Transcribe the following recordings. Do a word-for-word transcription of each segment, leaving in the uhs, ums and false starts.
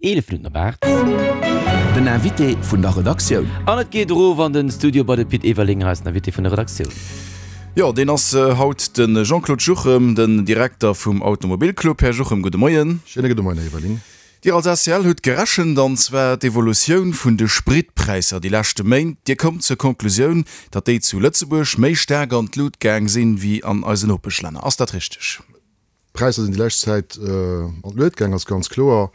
Eelef Minutten op aacht. Den Invité vun der Redaktioun. An et geet erof an den Studio bei de Pit Everling, eisen Invité vun der Redaktioun. Jo, deen ass haut de Jean-Claude Juchem, den Direkter vum Automobilclub. Här Juchem, gudde Moien. Schéine gudde Moien, Här Everling. Dir als A C L hutt gerechent, an zwar d'Evolutioun vun de Spritpräisser déi leschte Méint. Dir kommt zur Konklusioun, datt déi zu Lëtzebuerg méi staark an d'Lut gaang sinn, wéi an eisen Nopeschlänner. Ass dat richteg? D'Präisser sinn déi lescht Zäit an d'Luet gaang, ass ganz kloer.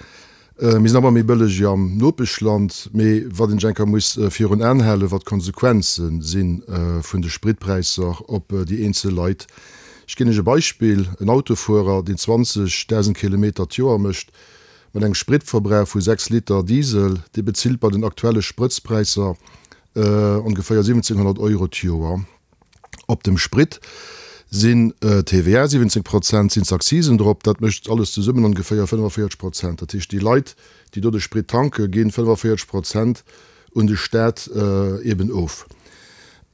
Mir sinn awer méi bëlleg wéi am Nopeschland. Mee wat een sech eng Kéier muss virun Aen halen, wat d'Konsequenze si vun de Spritpräisser op déi eenzel Leit. Ech ginn Iech e Beispill, En Autofuerer, deen zwanzegdausend Kilometer d'Joer mécht, mat engem Spritverbrauch vu sechs Liter Diesel, dee bezilt bei den aktuelle Sprëtzpräisser ongeféier siwwenzénghonnert Euro d'Joer. Op dem Sprit sinn T V A siwwenzéng Prozent, sinn d'Accisen drop, dat mécht alles zesummen ongeféier fënnefenvéierzeg Prozent. Dat heescht, déi Leit, déi do de Sprit tanken, ginn fënnefenvéierzeg Prozent un de Staat eben of.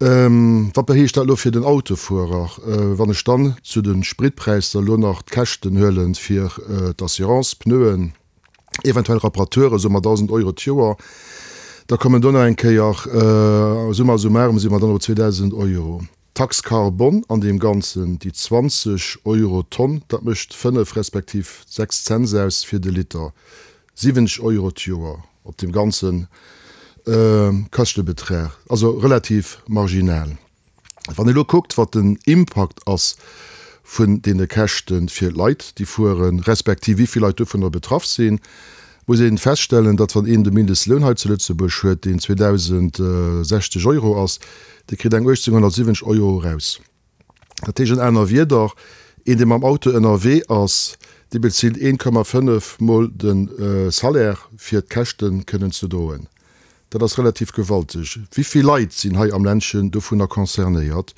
Wat heescht dat elo fir den Autofuerer? Wann ech dann zu de Spritpräisser elo nach d'Käschten huelen fir d'Assurance, Pneuen, eventuell Reparaturen, soe mer dausend Euro d'Joer, da kommen do nach eng Kéier, summa summarum si mer dann op zweedausend Euro. D'Taxe carbone an deem Ganzen, déi zwanzeg Euro d'Tonn, dat mécht fënnef respektiv sechs Cents aus fir de Liter, siwwenzeg Euro d'Joer op deem ganze Käschtebetrag, also relativ marginal. Wann ee elo kuckt, wat den Impakt ass vun deene Käschte fir d'Leit, déi fueren, respektiv wéi vill Leit dovunner betraff sinn, muss ee feststellen, datt wann een de Mindestloun hei zu Lëtzebuerg huet, deen zweedausendsechzeg Euro ass, dee kritt eng uechtzénghonnertsiwwenzeg Euro eraus. Dat heescht an aner Wierder, een dee mam Auto ënnerwee ass, dee bezilt een Komma fënnef mol de Salaire fir d'Käschte kënnen ze droen. Dat ass relativ gewalteg. Wéi vill Leit sinn hei am Ländchen dovunner concernéiert?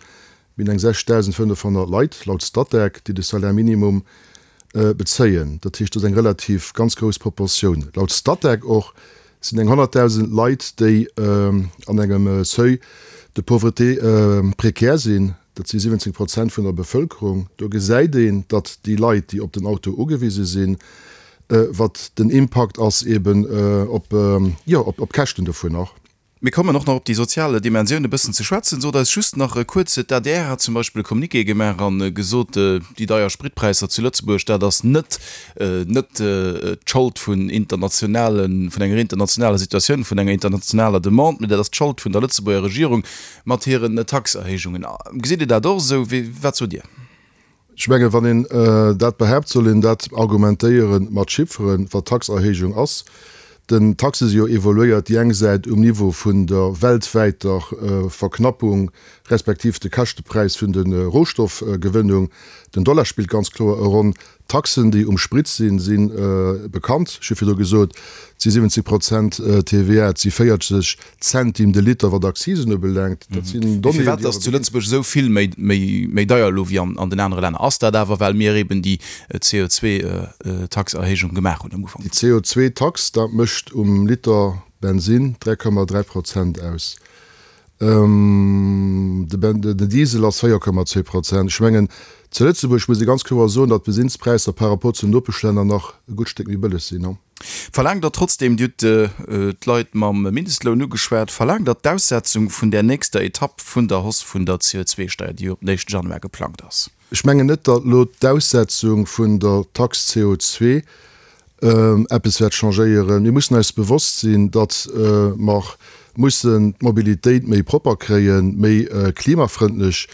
Mir hunn eng sechstausendfënnefhonnert Leit, laut Statec, déi de Salaire minimum bezéien. Dat heescht, dat ass eng relativ ganz grouss Proportioun. Laut Statec och sinn eng honnertdausend Leit, déi an engem Seuil de pauvreté précaire sinn. Dat si siwwenzéng Prozent vun der Bevëlkerung. Do gesäit een, datt déi Leit, déi op den Auto ugewise sinn, wat den Impakt ass eben op, jo, op d'Käschten dovunner. Mir kommen och nach op déi sozial Dimensioun e bëssen ze schwätzen. Sot eis just nach kuerz, d'A D R hat zum Beispill e Communiqué gemaach a gesot, déi deier Spritpräisser zu Lëtzebuerg, dat ass net net d'Schold vun internationalen, vun enger internationaler Situatioun, vun enger internationaler Demande, mee dat ass d'Schold vun der Lëtzebuerger Regierung mat hiren Taxerhéijungen. Gesitt Dir dat och esou? Wat sot Dir? Ech mengen, wann een dat behaapt, soll een dat argumentéiere mat Chifferen, wat d'Taxerhéijung ass. Den Taxe si jo evoluéiert, déi eng Säit um Niveau vun der weltwäiter Verknappung respektiv de Käschtepräis vun de Rohstoffgewënnung. Den Dollar spillt ganz kloer e Ronn. D'Taxen, déi um Sprit sinn, si bekannt. Ech hu virdru gesot, et si siwwenzeg Prozent T V A, et si véierzeg Centime de Liter, wat Accisen ubelaangt. Dat sinn Donnéeën, déi awer. Firwat ass zu Lëtzebuerg esou vill méi deier elo wéi an den anere Länner? Ass dat awer, well mir eben déi C O zwei Taxerhéijung gemaach hunn am Ufank? Déi C O zwei Tax, dat mécht um Liter Bensin dräi Komma dräi Prozent aus. Den Diesel ass véier Komma zwee Prozent. Ech mengen, zu Lëtzebuerg muss ee ganz kloer soen, datt d'Bensinnspräisser par rapport zu den Nopeschlänner nach e gutt Stéck méi bëlleg sinn. Verlaangt Der trotzdem, Dir hutt d'Leit mam Mindestloun ugeschwat, verlaangt Der d'Aussetzung vun där nächster Etapp vun der Hausse vun der C O zwei Steier, déi jo op den éischten Januar geplangt ass? Ech mengen net, datt elo d'Aussetzung vun der Taxe C O zwei eppes wäert changéieren. Mir mussen eis bewosst sinn, datt mer mussen d'Mobilitéit méi propper kréien, méi klimafrëndlech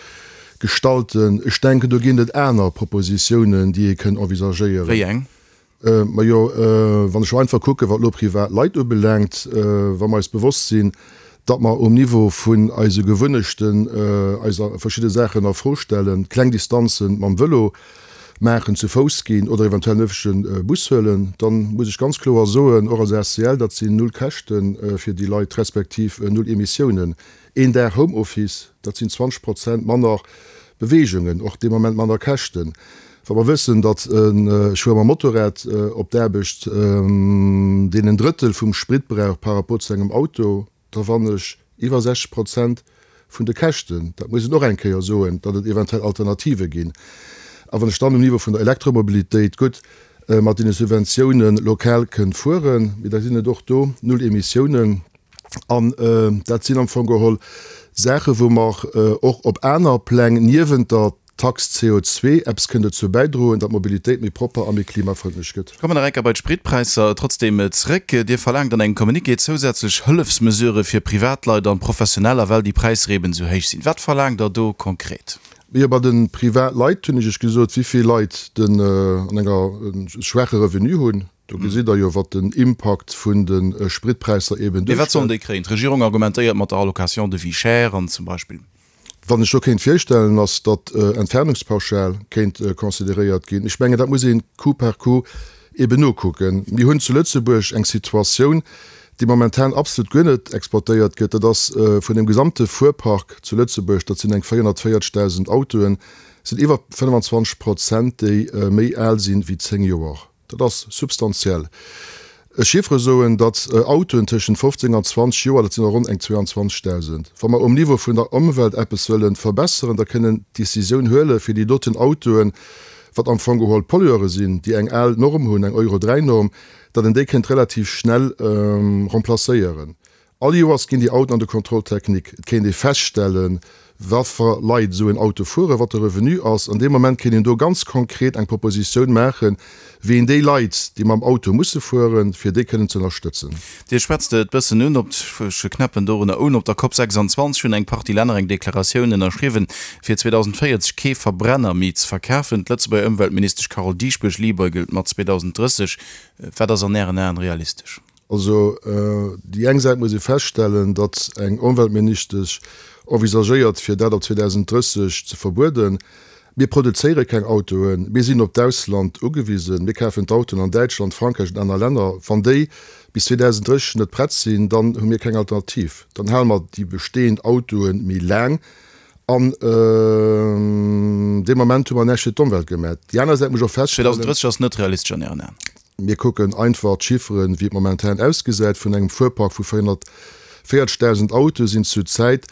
gestalten. Ech denken, do ginn et aner Propositiounen, déi ee kënnt envisagéieren. Wéi eng? Majo, wann ech elo einfach kucken, wat elo privat Leit ubelaangt, wa mer eis bewosst sinn, datt mer um Niveau vun eise Gewunnechten eis verschidde Saachen a Fro stellen, kleng Distanze mam Vëlo maachen, zu Fouss ginn oder eventuell en öffentleche Bus huelen, da muss ech ganz kloer soen, och als A C L, dat sinn null Käschte fir déi Leit respektiv null Emissiounen. Een Dag Homeoffice, dat sinn zwanzeg Prozent manner Beweegungen, och dee Moment manner Käschten. Wa mer wëssen, datt ech fuere mam Motorrad op d'Aarbecht, deen en Drëttel vum Sprit brauch par rapport zu engem Auto, da wann ech iwwer sechzeg Prozent vun de Käschten. Dat muss een och eng Kéier soen, datt et eventuell Alternative ginn. A wann ech dann um Niveau vun der Elektromobilitéit, gutt, mat deene Subventiounen lokal kënnt fueren. Mee da sinn et och do null Emissiounen. An dat sinn am Fong geholl Saachen, wou mer och op aner Pläng niewent der Tax C O zwee eppes kënnt dozou bäidroen, datt d'Mobilitéit méi propper a méi klimafrëndlech gëtt. Ech kommen nach eng Kéier bei d'Spritpräisser trotzdeem zréck. Dir verlaangt an engem Communiqué zousätzlech Hëllefsmesurë fir Privatleit an Professioneller, well déi Präisser eben esou héich sinn. Wat verlaangt Der do konkret? Jo, bei de Privatleit hunn ech Iech gesot, wéi vill Leit den an enger schwaache Revenu hunn. Do gesitt Der jo, wat den Impakt vun de Spritpräisser eben Mee wat sollen duerstellt. déi kréien? D'Regierung argumentéiert mat der Allocation de vie chère an zum Beispill. Wat ech do kéint virstellen, ass, datt Entfernungspauschal kéint consideréiert ginn. Ech mengen, dat muss ee coup par coup eben nokucken. Mir hunn zu Lëtzebuerg eng Situatioun, déi momentan absolut guer net exploitéiert gëtt. Dat ass vun dem gesamte Fuerpark zu Lëtzebuerg, dat sinn eng véierhonnertvéierzegdausend Autoen, sinn iwwer fënnwanzwanzeg Prozent, déi méi al sinn wéi zéng Joer. Dat ass substantiell. Chiffere soen, datt Autoen tëschent fofzéng an zwanzeg Joer, dat sinn der ronn eng zweiundzwanzegdausend, wa mer um Niveau vun der Ëmwelt eppes wëlle verbesseren, da kënnen d'Decisioun huele fir déi doten Autoen, wat am Fong geholl Pollueure sinn, déi eng al Norm hunn, eng Euro dräi Norm, datt een déi kéint relativ schnell remplacéieren. All Joers ginn déi Autoen an de Contrôle technique. Et kéint ee feststellen, watfer Leit esou en Auto fueren, wat de Revenu ass. An deem Moment kéint een do ganz konkret eng Propositioun maachen, wéi een déi Leit, déi mam Auto musse fueren, fir déi kënnen ze ënnerstëtzen. Dir schwätzt et bëssen un, op, ech knäppen dorunner un, op der Cop sechsundzwanzeg hunn eng Partie Länner eng Deklaratioun ënnerschriwwen, fir zweedausendvéierzeg kee Verbrenner méi ze verkafen. D'Lëtzebuerger Ëmweltministesch Carole Dieschbourg libeugelt mat zweedausendrësseg. Wat ass an Ären Aen realistesch? Also déi eng Säit muss ee feststellen, datt eng Ëmweltministesch envisagéiert, fir dat ab zweedausendrësseg ze verbueden. Mir produzéiere keng Autoen, mir sinn op d'Ausland ugewisen. Mir kafen d'Autoen an Däitschland, Frankräich an aner Länner. Wann déi bis zweedausendrësseg net prett sinn, dann hu mir keng Alternativ. Dann hale mer déi bestehend Autoe méi laang an dee Moment hu mer näischt fir d'Ëmwelt gemaach. Déi aner Säit muss ech och feststellen. zweedausendrësseg ass net realistesch an Ären Aen? Mir kucken einfach d'Chifferen, wéi et momentan ausgesäit. Vun engem Fuerpark vu véierhonnertvéierzegdausend Autoe sinn zur Zäit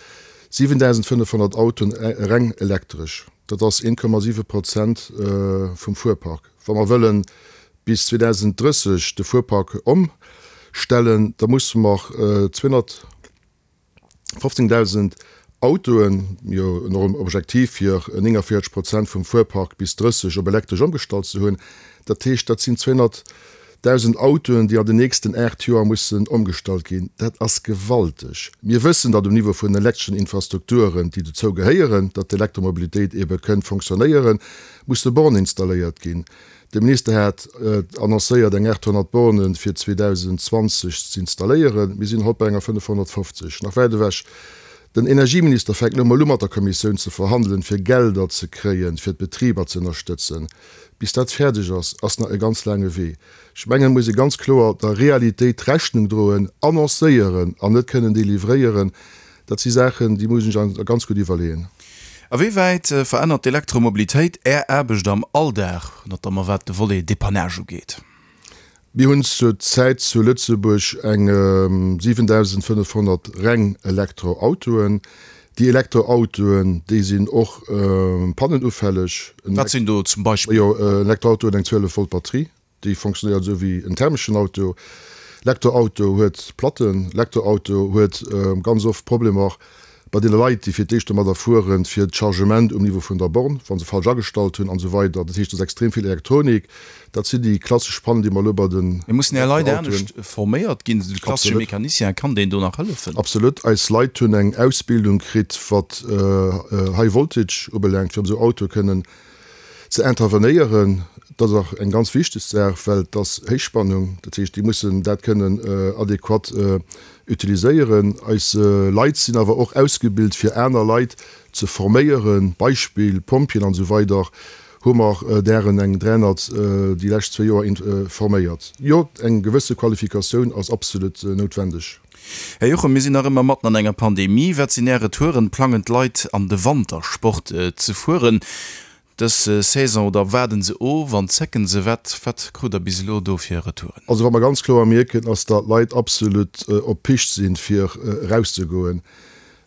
siwendausendfënnefhonnert Autoen reng elektresch. Dat ass een Komma siwe Prozent vum Fuerpark. Wa mer wëllen bis zweedausendrësseg de Fuerpark ëmstellen, da musse mer zweehonnertfofzéngdausend Autoen, jo en Objektiv fir nénganvéierzeg Prozent vum Fuerpark bis drësseg op elektresch ëmgestallt ze hunn. Dat heescht, dat sinn zweehonnertdausend Autoen, déi an den nächsten aacht Joer mussen ëmgestallt ginn. Dat ass gewalteg. Mir wëssen, datt um Niveau vun den elektreschen Infrastrukturen, déi dozou gehéieren, datt d'Elektromobilitéit ebe kënnt fonctionnéieren, musse Bornen installéiert ginn. De Minister hat annoncéiert, eng aathonnert Bornen fir zweedausendzwanzeg z'installéieren. Mir sinn haut bei enger fënnefhonnertfofzeg, nach wäit ewech. Den Energieminister fänkt elo mol u mat der Kommissioun ze verhandelen, fir Gelder ze kréien, fir d'Betriber ze ënnerstëtzen. Bis dat fäerdeg ass, ass nach e ganz laange Wee. Ech mengen, et muss ee ganz kloer der Realitéit Rechnung droen. Annoncéieren an net kënnen delivréieren, dat si Saachen, déi muss een sech ganz gutt iwwerleeën. A wéi wäit verännert d'Elektromobilitéit Är Aarbecht am Alldag, notamment wat de Volet Dépannage ugeet? Mir hunn zur Zäit zu Lëtzebuerg eng siwendausendfënnefhonnert reng Elektroautoen. Déi Elektroautoen, déi sinn och pannenufälleg. Wat sinn do zum Beispill? Majo, en Elektroauto huet eng zwielef Volt Batterie, déi fonctionnéiert esou wéi en thermeschen Auto. Elektroauto huet Platten. Elektroauto huet ganz oft Problemer bei deene Leit, déi fir d'éischt domadder fueren, fir d'Chargement um Niveau vun der Born, wa se falsch agestallt hunn an esou weider. Dat heescht, et ass extrem vill Elektronik. Dat sinn déi klassesch Pannen, déi mer elo bei den Mee mussen Är Leit Elektroautoen. anescht forméiert ginn? De klassesche Absolut. Mecanicien, kann deen do nach hëllefen? Absolut. Eis Leit hunn eng Ausbildung kritt, wat High Voltage ubelaangt, fir op esou Autoe kënnen ze intervenéieren. Dat ass och eng ganz wichteg Saach, well et ass Héichspannung. Dat heescht, déi mussen dat kënnen adequat utiliséieren. Eis Leit sinn awer och ausgebilt, fir aner Leit ze forméieren. Beispill, Pompjeeën an esou weider hu mer dären eng dräihonnert déi lescht zwee Joer forméiert. Jo, eng gewësse Qualifikatioun ass absolut noutwendeg. Här Jochum, mir sinn nach ëmmer matten an enger Pandemie. Wat sinn Är Retouren? Plangen d'Leit an de Wantersport ze fueren dës Saison oder waarden se of an zécken se? Wat wat krut Der bis elo do fir Retouren? Also wat mer ganz kloer mierken, ass datt d'Leit absolut op Picht sinn, fir erauszegoen.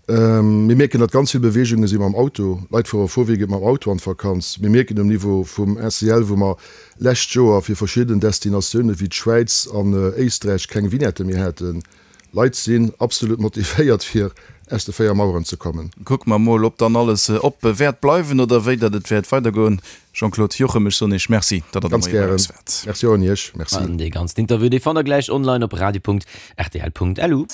Mir mierken, datt ganz vill Beweegunge si mam Auto. Leit fuere vorwiegend mam Auto an d'Vakanz. Mir mierken um Niveau vum ACL, wou mer lescht Joer fir verschidden Destinatioune wéi d'Schwäiz an Éisträich keng Vignette méi haten, Leit sinn absolut motivéiert fir aus de véier Maueren ze kommen. Kucke mer mol, ob dann alles op wäert bleiwen oder wéi datt et wäert weidergoen. Jean-Claude Juchem, ech soen Iech Merci, datt Der de Ganz Moie bei gären. eis waart. Merci och un Iech. Merci. An dee ganzen Interview, dee fannt der gläich online op radio.rtl.lu.